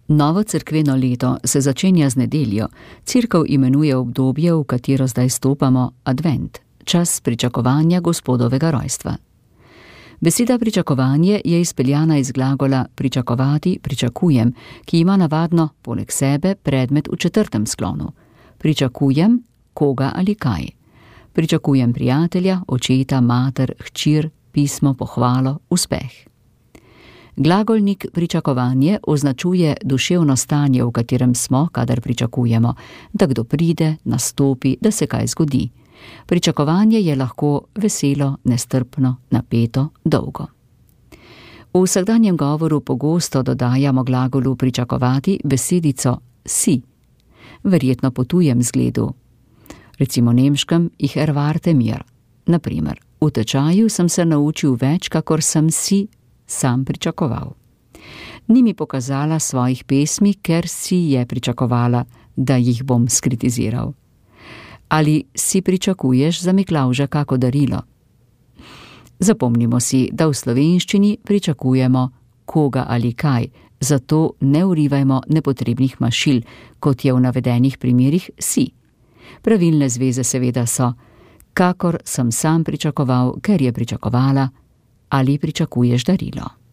Novo cerkveno leto se začenja z nedeljo. Cerkev imenuje obdobje, v katero zdaj stopamo, advent, čas pričakovanja Gospodovega rojstva. Beseda pričakovanje je izpeljana iz glagola pričakovati, pričakujem, ki ima navadno poleg sebe predmet v četrtem sklonu. Pričakujem koga ali kaj. Pričakujem prijatelja, očeta, mater, hčer, pismo, pohvalo, uspeh. Glagolnik pričakovanje označuje duševno stanje, v katerem smo, kadar pričakujemo, da kdo pride, nastopi, da se kaj zgodi. Pričakovanje je lahko veselo, nestrpno, napeto, dolgo. V vsakdanjem govoru pogosto dodajamo glagolu pričakovati besedico si. Verjetno potujem zgledu. Recimo nemškem ich erwarte mir. Naprimer, v tečaju sem se naučil več, kakor sem si sam pričakoval. Ni mi pokazala svojih pesmi, ker si je pričakovala, da jih bom skritiziral. Ali si pričakuješ za Miklavža kako darilo? Zapomnimo si, da v slovenščini pričakujemo koga ali kaj, zato ne vrivajmo nepotrebnih mašil, kot je v navedenih primerih si. Pravilne zveze seveda so, kakor sem sam pričakoval, ker je pričakovala, ali pričakuješ darilo.